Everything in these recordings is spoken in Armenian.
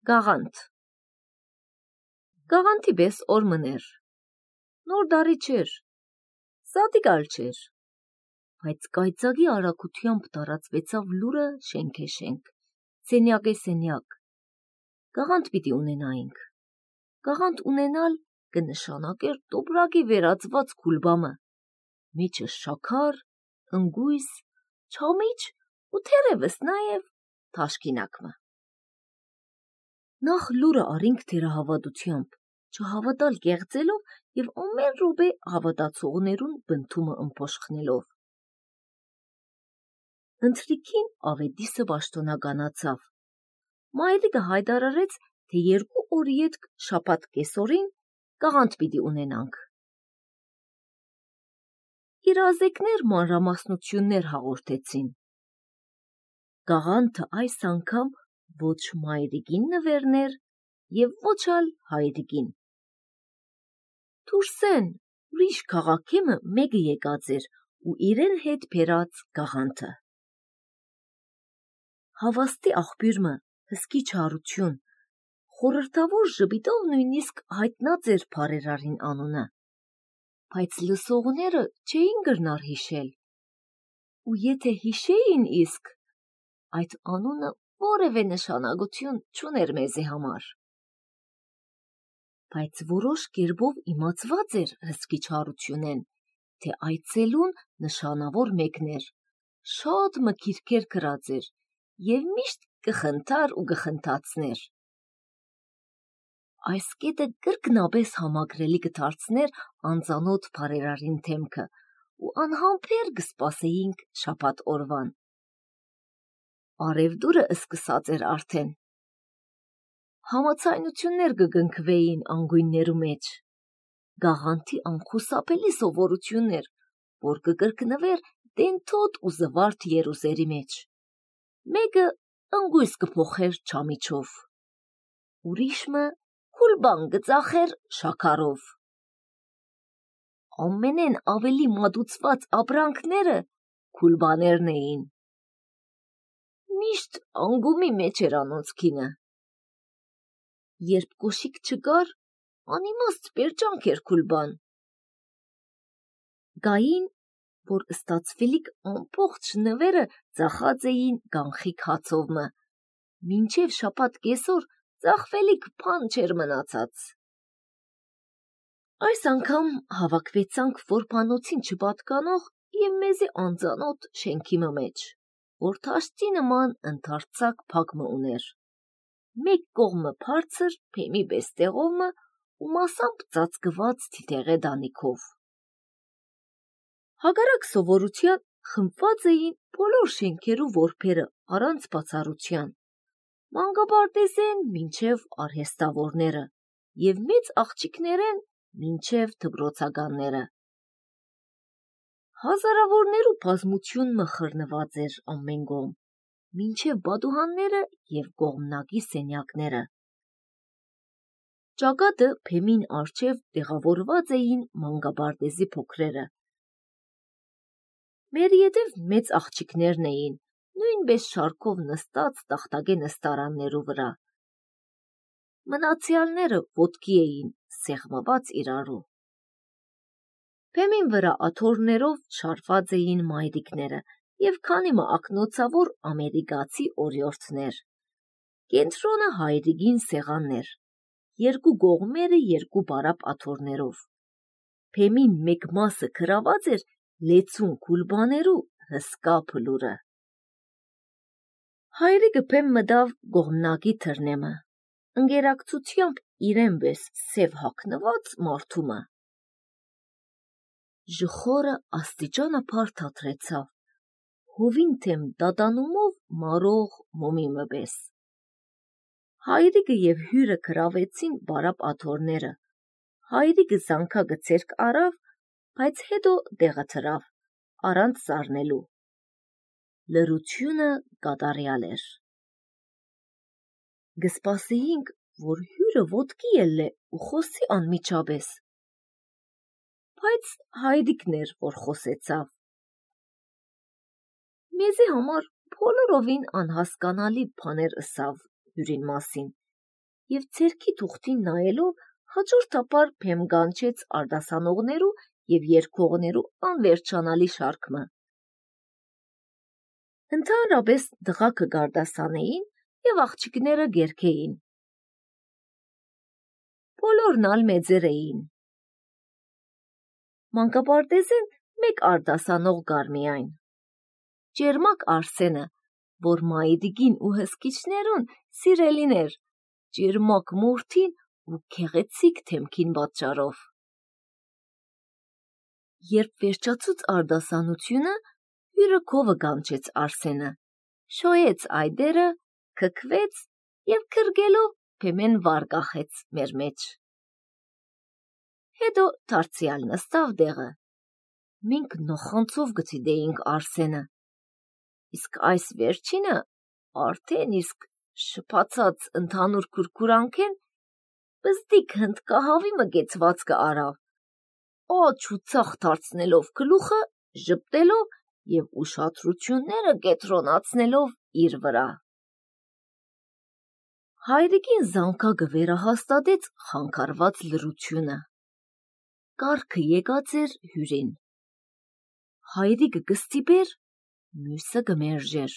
Գաղանթ Գաղանթի պես օր մներ, նոր դարի չէր, սատիկալ չէր, բայց կայծակի արագությամբ տարածվեցավ լուրը շենք է շենք, սենյակ է սենյակ, գաղանթ պիտի ունենայինք, գաղանթ ունենալ կնշանակեր տոպրակի վերածված կուլբամը, մեջը շաքար, ընգույս, չամիչ ու թերևս նաև թաշկինակմը։ Նախ լուրը արինք թերահավատությամբ, չհավատալ կեղծելով և ամեն րոպե հավատացողներուն բնթումը ըմփոշխնելով։ Ընթրիքին ավետիսը պաշտոնականացավ։ Մայրիկը հայտարարեց, թե 2 օրի ետք շաբաթ կեսօրին գաղանթ պիտի ունենանք։ Իրազեկներ մանրամասնություններ հաղորդեցին։ Գաղանթը այս անգամ ոչ մայրիկին նվերներ և ոչ ալ հայրիկին։ Դուրսեն ուրիշ քաղաքեմը մեկը եկած էր ու իրեն հետ բերած գաղանթը։ Հավաստի աղբյուրը հսկի չարություն, խորհրդավոր ժպիտով նույնիսկ հայտնած էր բարերարին անունը, բայց լսողները չէին գրնար հիշել, ու եթե հիշեին իսկ, այդ անունը որևէ նշանակություն չուներ մեզի համար։ Բայց որոշ կերպով իմացված էր հսկի չարությունեն, թե այցելուն նշանավոր մեկներ, շատ մքիրքեր գրած էր և միշտ կխնդար ու կխնդացներ։ Այս կետը կրկնապես համակրելի կդարձներ անծանոթ բարերարին թեմքը ու անհամբեր կսպասեինք շաբաթ օրվան։ Արևդուրը սկսած էր արդեն։ Համացայնություններ կգնքվեին անգույններու մեջ։ Գաղանթի անխուսափելի սովորություններ, որ կկրկնվեր դենթոտ ու զվարթ երուսերի մեջ։ Մեկը ընգույս կփոխեր չամիչով, ուրիշը կուլբան կծախեր շաքարով։ Ամենեն ավելի մատուցված ապրանքները կուլբաներն էին։ Միշտ անգումի մեջ էր անոնց կինը։ Երբ կոշիկ չկար, անիմաստ պերջանք էր կուլբան։ Գային, որ ստացվելիք ամբողջ նվերը ծախած էին կանխիկ հացովմը, մինչև շաբաթ կեսօր ծախվելիք բան չէր մնացած։ Այս անգամ հավաքվեցանք որբանոցին չպատկանող և մեզի անծանոթ շենքի մեջ, որ թաշծի նման ընդարձակ փակմը ուներ։ Մեկ կողմը բարձր բեմի պես տեղովմը ու մասամբ ծածկված թիթեղե դանիքով։ Հակառակ սովորության խմբված էին բոլոր շենքերու որբերը առանց բացառության, մանկապարտեզեն մինչև արհեստավորները և մեծ աղջիկներեն մինչև դպրոցականները։ Հազարավորներու բազմությունը խռնված էր ամեն կողմ, մինչև բադուհանները և կողմնակի սենյակները։ Ճակատը բեմին առջև տեղավորված էին մանկապարտեզի փոքրերը։ Մեր ետև մեծ աղջիկներն էին, նույնպես շարքով նստած տախտակե նստարաններու վրա։ Մնացյալները ոտքի էին սեղմված իրարու։ Բեմին վրա աթոռներով շարված էին մայրիկները և քանի մը ակնոցավոր ամերիկացի օրիորդներ։ Կենտրոնը հայրիկին սեղաններ, երկու կողմերը երկու բարապ աթոռներով։ Բեմին մեկ մասը գրաված էր լեցուն կուլբաներու հսկա փլուրը։ Հայրիկը բեմ մտավ կողմնակի թռնեմը, ընկերակցությամբ իրեն պես սև հագնված մարդումը։ Ժխորը աստիճանաբար թատրեցավ, հովին թեմ տատանումով մարող մոմիմը պես։ Հայրիկը և հյուրը գրավեցին բարապ աթոռները, հայրիկը զանգակը ձեռք առավ, բայց հետո տեղը թրավ, առանց զարնելու։ Լռությունը կատարյալ էր։ Կսպասեինք, որ հյուրը ոտքի ելլե ու խոսի անմիջապես, բայց հայրիկն էր, որ խոսեցավ։ Մեզի համար բոլորովին անհասկանալի բաներ ըսավ հյուրին մասին և ձեռքի թուղթին նայելով հաջորդաբար փեմ գանչեց արտասանողներու և երգողներու անվերջանալի շարքը։ Ընդհանրապես տղաքը գարդասանեին և աղջիկները գերքեին։ Բոլորն ալ մեծեր էին։ Մանկապարտեզեն մեկ արտասանող կար միայն։ Ճերմակ Արսենը, որ մայրիկին ու հսկիչներուն սիրելին էր, ճերմակ մորթին ու գեղեցիկ թեմքին պատճառով։ Երբ վերջացուց արտասանությունը, հյուրը քովը կանչեց Արսենը, շոյեց այդերը, քքվեց և քրկելով փեմեն վար կախեց մեր մեջ։ Հետո դարձյալ նստավ տեղը։ Մենք նոխանցով գտիդեինք Արսենը, իսկ այս վերջինը արդեն իսկ շփացած ընդհանուր քուրքուրանքեն բզդիկ հնդկահավի մկեցվածքը արավ, աջ ու ցախ դարձնելով գլուխը, ժպտելով և ուշադրությունները կենտրոնացնելով իր վրա։ Հայրիկին զանգակը վերահաստատեց խանգարված լռությունը։ Կառքը եկած էր հյուրին։ Հայրիկը կստիպեր, մյուսը կմերժեր։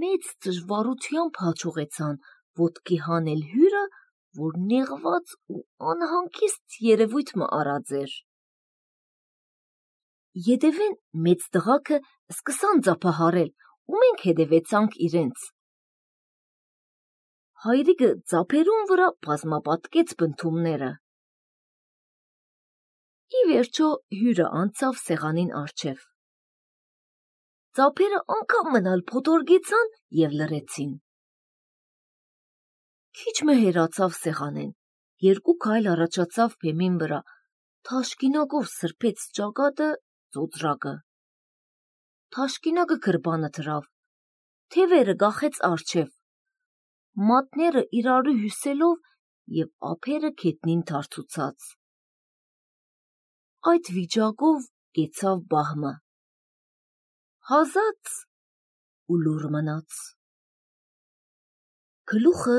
Մեծ դժվարությամբ հաջողեցան ոտքի հանել հյուրը, որ նեղված ու անհանգիստ երևույթ մը արած էր։ Ետևեն մեծ տղաքը սկսան ծափահարել, ու մենք հետևեցանք իրենց։ Հայրիկը ծափերուն վրա բազմապատկեց բնդումները։ Ի վերջո հյուրը անցավ սեղանին առջև։ Ծափերը անգամ մնալ փոթորկեցան և լռեցին։ Քիչ մը հեռացավ սեղանեն, երկու քայլ առաջացավ բեմին վրա, թաշկինակով սրբեց ճակատը, ծոծրակը։ Թաշկինակը գրպանը դրավ, թևերը կախեց առջև, մատները իրարու հյուսելով և ափերը քետնին թարթուցած։ Այդ վիճակով կեցավ բահմը։ Հազաց ու լուռ մնաց։ Գլուխը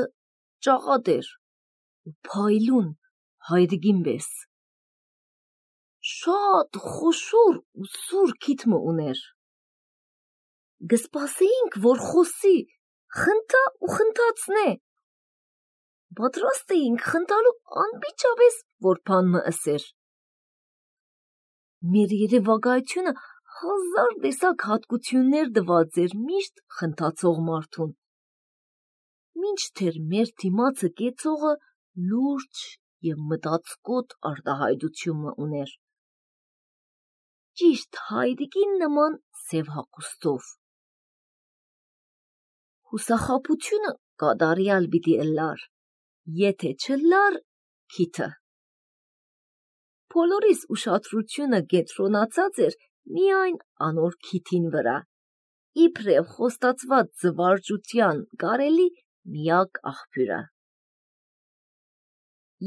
ճաղատ էր ու փայլուն հայրիկին պես։ Շատ խոշոր ու սուր քիթմը ուներ։ Կսպասեինք, որ խոսի, խնդա ու խնդացնե։ Պատրաստ էինք խնդալու անմիջապես, որ բան մը ըսեր։ Մեր երևակայությունը հազար տեսակ հատկություններ տված էր միշտ խնդացող մարդուն, մինչդեռ մեր դիմացը կեցողը լուրջ և մտածկոտ արտահայտություն մը ուներ, ճիշտ հայրիկին նման սև հագուստով։ Հուսախաբությունը կատարյալ պիտի ըլլար, եթե չըլլար քիթը։ Բոլորիս ուշադրությունը կենտրոնացած էր միայն անոր քիթին վրա, իբրև խոստացված զվարճության կարելի միակ աղբյուրը։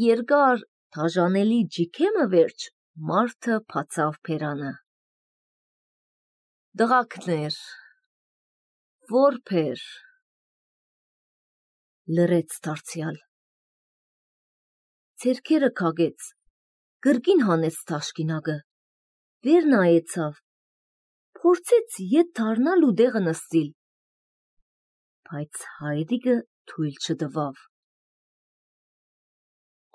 Երկար դաժանելի ջիքեմը վերջ մարդը բացավ բերանը։ Տղակներ, որբեր, լռեց դարձյալ։ Ձեռքերը քագեց, կրկին հանեց թաշկինակը, վեր նայեցավ, փորձեց ետ դառնալ ու տեղը նստիլ, բայց հայրիկը թույլ չտվավ։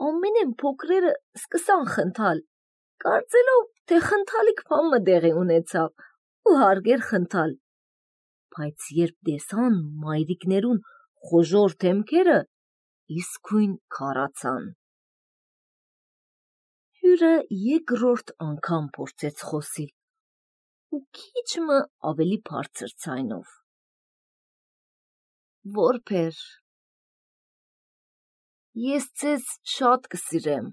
Ամենեն փոքրերը սկսան խնդալ, կարծելով, թե խնդալիք բան մը տեղի ունեցավ ու հարգեր խնդալ, բայց երբ տեսան մայրիկներուն խոժոռ դեմքերը, իսկույն քարացան։ Հյուրը երկրորդ անգամ փորձեց խոսիլ ու քիչ մը ավելի բարձր ձայնով։ Որբեր, ես ձեզ շատ կսիրեմ։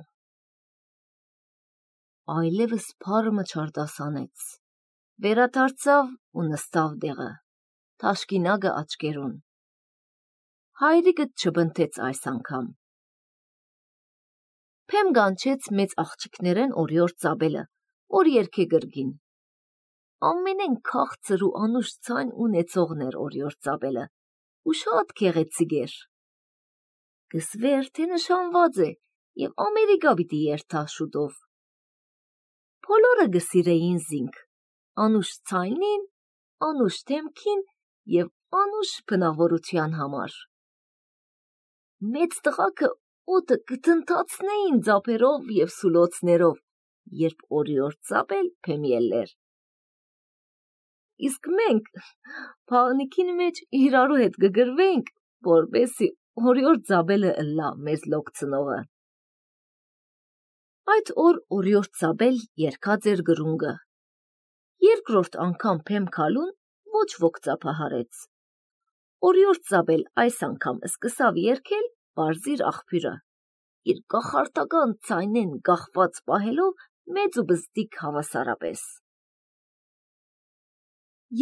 Այլևս բառը չարտասանեց, վերադարձավ ու նստավ տեղը, թաշկինակը աչքերուն։ Հայրիկը չբնթեց այս անգամ։ Փեմ կանչեց մեծ աղջիկներեն օրիորդ ծաբելը, որ երգե կրկին։ Ամենեն քաղցր ու անուշ ձայն ունեցողն էր օրիորդ ծաբելը ու շատ գեղեցիկ էր։ գսվեր, թե նշանված է և Ամերիկա պիտի երթա շուտով։ Բոլորը գսիրեին զինք, անուշ ցայնին, անուշ դեմքին և անուշ բնավորության համար։ Մեծ տղաքը օդը կթնթացնեին ձապերով և սուլոցներով, երբ օրիորդ Զաբել փեմ ելլեր։ Իսկ մենք փաղնիքին մեջ իրարու հետ կգրվենք, որպեսի օրիորդ Զաբելը ըլլա մեզ լոկցնողը։ Այդ օր օրիորդ Զաբել երգած էր գրունգը։ Երկրորդ անգամ փեմ քալուն ոչ ոք ծափահարեց։ Օրիորդ Զաբել այս անգամ սկսավ երգել Պարզիր աղբյուրը, իր կախարդական ցայնեն գախված պահելով մեծ ու բզդիկ հավասարապես։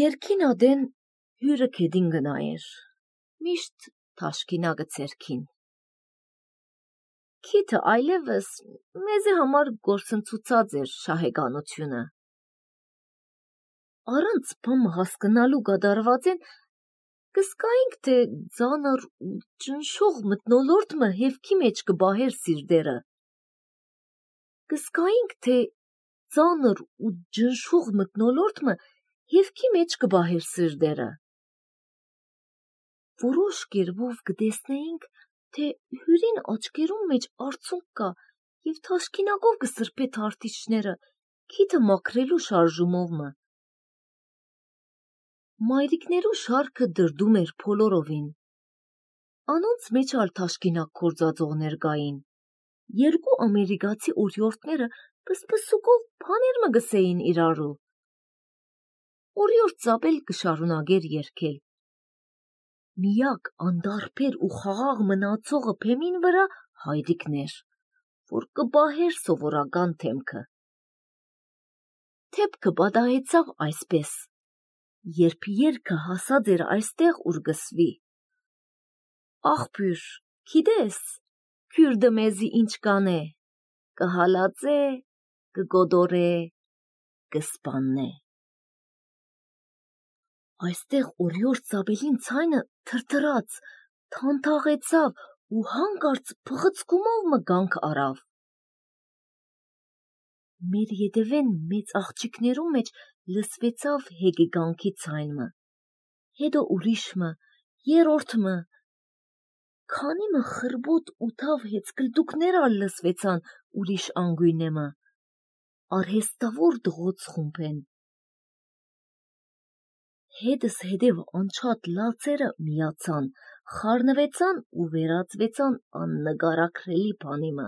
Երգին ադեն հյուրը քեդին գնայր, միշտ թաշկինա գցերքին։ Քիթը այլևս մեզի համար գործընծուցած էր շահեգանությունը։ Առանց բամը հասկնալու գադարվածեն կսկայինք, թե ձանր ու ճնշող մթնոլորտը հևքի մեջ կբահեր սիրդերը։ Կսկայինք, թե ձանր ու ճնշող մթնոլորտը հևքի մեջ կբահեր սիրդերը։ Որոշ կերպով կտեսնեինք, թե հյուրին աչքերում մեջ արցունք կա և թաշկինակով կսրբե թարթիչները քիթը մաքրելու շարժումով։ Մայրիկներու շարքը դրդում էր բոլորովին։ Անոնց մեջ ալ թաշկինակ կործածողներ կային։ Երկու ամերիկացի օրիորդները պսպսուկով բաներ մը գսեին իրարու։ Օրիորդ Զաբել կշարունակեր երգել։ Միակ անդարբեր ու խաղաղ մնացողը փեմին վրա Հայրիկն էր, որ կպահեր սովորական թեմքը։ Թեփքը պատահեցավ այսպես. երբ երգը հասած էր այստեղ, ուր գսվի. Աղբյուր, գիտես, քյուրդը մեզի ինչ կանե, կհալածե, կգոդորե, կսպաննե։ Այստեղ օրիորդ Զաբելին ցայնը թրթրաց, թանթաղեցավ ու հանկարծ փղծկումով մը գանք արավ։ Մեր ետևեն մեծ աղջիկներու մեջ լսվեցավ հեգեգանքի ցայնը, հետո ուրիշը, երրորդը, քանի մը խրբոտ ու թավ հեծկլտուկներ ալ լսվեցան ուրիշ անգույնեմը, արհեստավոր դղոց խումբեն։ Հետս հետև անչատ լացերը միացան, խառնվեցան ու վերածվեցան աննկարագրելի բանիմը։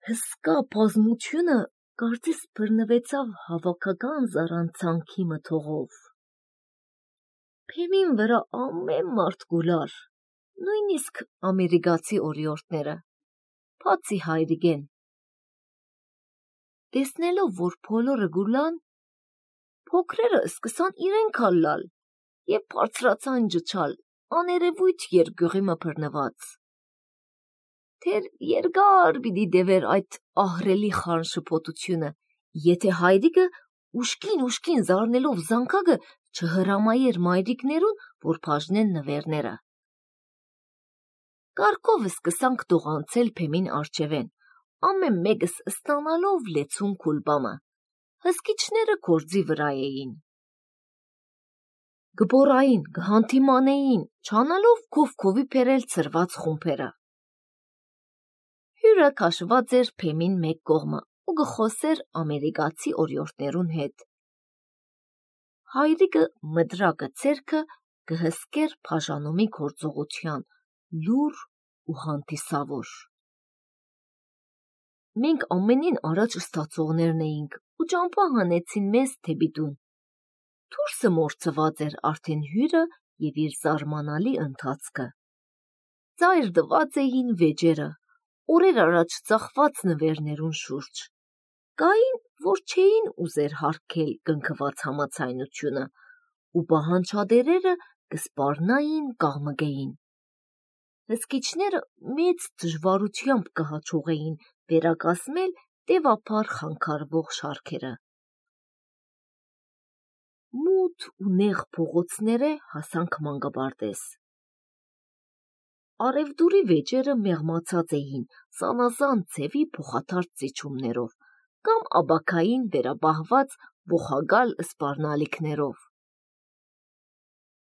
Հսկա բազմությունը կարծես բռնվեցավ հավաքական զառանցանքի մթողով։ Փեմին վրա ամեն մարդ գուլար, նույնիսկ ամերիկացի օրիորդները, բացի Հայրիկեն։ Տեսնելով, որ բոլորը գուլան, փոքրերը սկսան իրենք ալ լալ և բարձրացան ջչալ աներևույթ երկյուղի մը բռնված։ Թեր երկար պիտի դևեր այդ ահռելի խառն շփոթությունը, եթե Հայրիկը ուշքին զարնելով զանգակը չհրամայեր մայրիկներուն, որ բաժնեն նվերները։ Կարգով սկսանք տողանցել փեմին արջևեն, ամեն մեկս ստանալով լեցուն քուլբամը։ Հսկիչները գործի վրա էին։ Գբորային, գհանթիմանեին, չանալով քովքովի բերել ծրված խումբերը։ Հյուրը քաշված էր փեմին մեկ կողմը ու գխոսեր ամերիկացի օրիորդներուն հետ։ Հայրիկը մդրակը ցերքը կհսկեր բաժանումի գործողության լուր ու հանդիսավոր։ Մենք ամենին առաջ ստացողներն էինք ու ճամփա հանեցին մեզ դեպի տուն։ Դուրսը մորցված էր արդեն հյուրը և իր զարմանալի ընթացքը։ Ծայր տված էին վեճերը, օրեր առաջ ծախված նվերներուն շուրջ։ Կային, որ չէին ուզեր հարգել կնքված համացայնությունը ու պահանջադերերը կսպառնային կաղմկեին։ Հսկիչները մեծ դժվարությամբ կհաջողեին վերակազմել տևափառ խանգարվող շարքերը։ Մութ ու նեղ փողոցները հասանք մանկապարտեզ։ արևդուրի վեճերը մեղմացած էին զանազան ձևի փոխադարձ ծիչումներով կամ աբաքային վերաբահված ոխագալ սպառնալիքներով։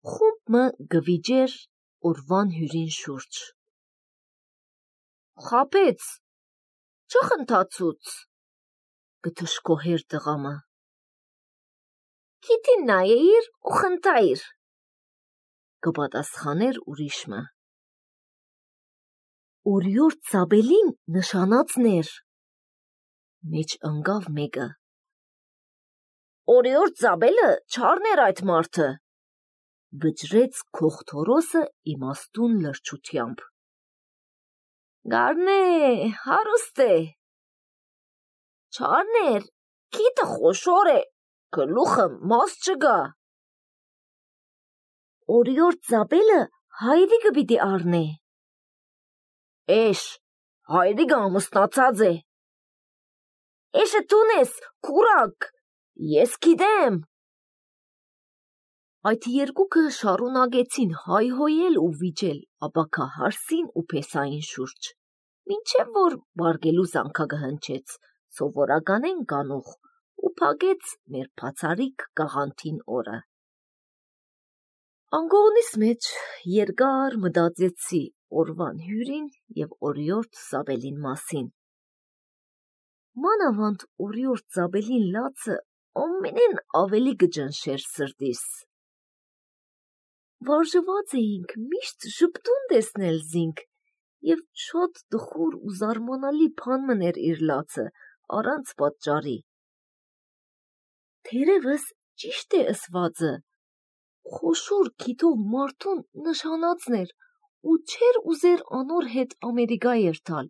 Խումբը գվիճեր օրվան հյուրին շուրջ։ Խապեց, չխնդացուց, գթշկոհեր տղամը։ Քիթին նայեիր ու խնդայիր, կպատասխաներ ուրիշը։ Օրիորդ Զաբելին նշանածներ, մեջ ընկավ մեկը։ Օրիորդ Զաբելը չարներ այդ մարդը, վճռեց Քողթորոսը իմաստուն լրջությամբ։ Գարնե, հարուստ է։ Չարներ, քիթը խոշոր է, գլուխը մաս չգա։ Օրիորդ Զաբելը հայրիկը պիտի առնե։ Էշ, հայրիկը ամուսնացած է։ Էշը տուն ես, կուրակ, ես գիտեմ։ Այդ երկուքը շարունակեցին հայհոյել ու վիճել աբաքահարսին ու փեսային շուրջ, մինչև որ բարգելու զանգակը հնչեց, սովորականեն կանուխ, ու փակեց մեր բացարիք գաղանթին օրը։ Անգողնիս մեջ երկար մտածեցի օրվան հյուրին և օրիորդ Զաբելին մասին։ Մանավանդ օրիորդ Զաբելին լացը ամենեն ավելի կճնշեր սրտիս։ Վարժված էինք միշտ ժպտուն տեսնել զինք, և շատ տխուր ու զարմանալի բան մներ իր լացը, առանց պատճառի։ Թերևս ճիշտ է ըսվածը, խոշոր քիթով մարդուն նշանածներ ու չեր ուզեր անոր հետ Ամերիկա երթալ։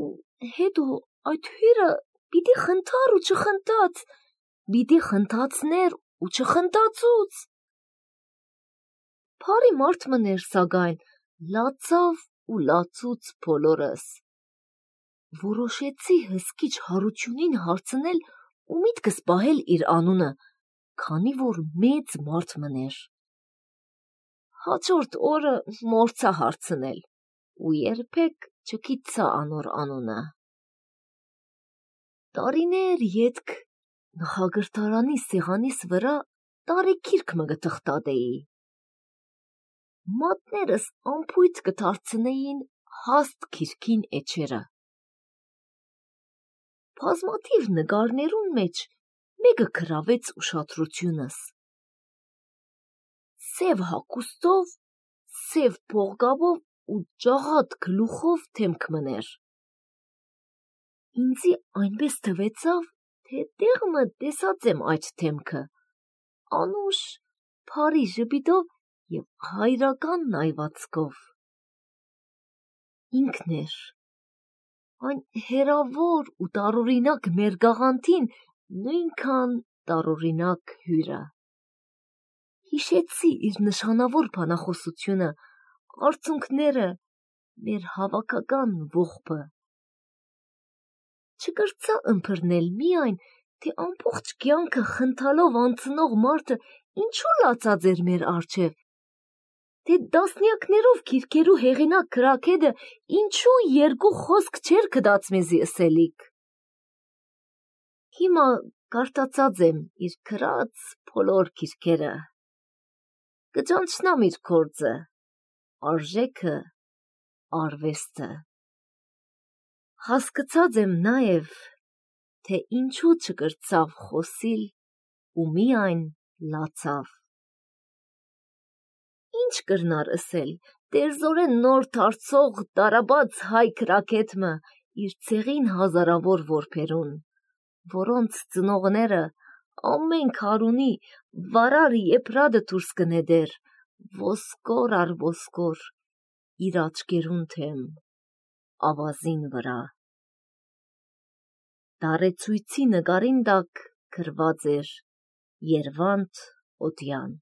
Ու հետո այդ հյուրը պիտի խնդար ու չխնդաց, պիտի խնդացներ ու չխնդացուց։ Բարի մարդ մներ սակայն, լացավ ու լացուց բոլորս։ Որոշեցի հսկիչ հարությունին հարցնել ու միտքս պահել իր անունը, քանի որ մեծ մարդ մներ։ Հաջորդ օրը մոռցա հարցնել ու երբեք չգիտցա անոր անունը։ Տարիներ ետք նախագրտարանի սեղանիս վրա տարեգիրք մը կթղթատեի։ Մատներս ամփույթ կդարձնեին հաստ գիրքին էջերը։ Բազմաթիվ նկարներուն մեջ մեկը գրավեց ուշադրությունս։ Սև հագուստով, սև փողկապով ու ջաղատ գլուխով դեմք մներ։ Ինձի այնպես թվեցավ, թե տեղը տեսած եմ այդ դեմքը, անուշ, բարի ժպիտով և հայրական նայվածքով։ Ինքն էր, այն հեռավոր ու տարօրինակ մեր գաղանթին նույնքան տարօրինակ հյուրը։ Հիշեցի իր նշանավոր բանախոսությունը, արցունքները, մեր հավաքական ողբը։ Չկրծա ըմբռնել միայն, թե ամբողջ կյանքը խնդալով անցնող մարդը ինչու լացած էր մեր առջև, թե տասնյակներով գիրքերու հեղինակ գրաքեդը ինչու երկու խոսք չէր գտած մեզի ըսելիք։ Հիմա կարդացած եմ իր գրած բոլոր գիրքերը։ Կճանչնամ իր գործը, արժեքը, արվեստը։ Հասկացած եմ նաև, թե ինչու չկրծավ խոսիլ ու միայն լացավ։ Ինչ կրնար ըսել դերձորեն նոր դարձող տարաբաց հայ գրաքեդը իր ցեղին հազարավոր որբերուն, որոնց ծնողները ամեն քարունի վարար եփրադը դուրս կնեդեր, ոսկոր առ ոսկոր, իր աչքերուն թեմ, ավազին վրա։ Դարեցույցի նկարին տակ գրված էր Երվանդ Օդյան։